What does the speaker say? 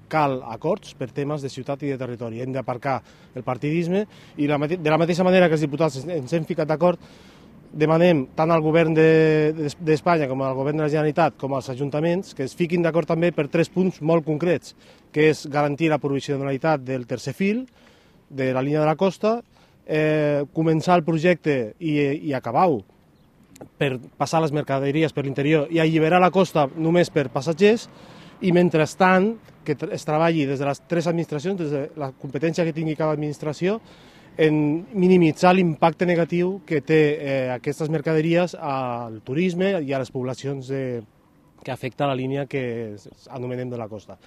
cal acords per temes de ciutat i de territori. Hem d'aparcar el partidisme i de la mateixa manera que els diputats ens hem ficat d'acord, demanem tant al govern d'Espanya com al govern de la Generalitat com als ajuntaments que es fiquin d'acord també per 3 punts molt concrets, que és garantir la provisionalitat del tercer fil de la línia de la costa, començar el projecte i acabar-ho per passar les mercaderies per l'interior i alliberar la costa només per passatgers, i mentrestant que es treballi des de les 3 administracions, des de la competència que tingui cada administració, en minimitzar l'impacte negatiu que té aquestes mercaderies al turisme i a les poblacions que afecta la línia que anomenem de la costa.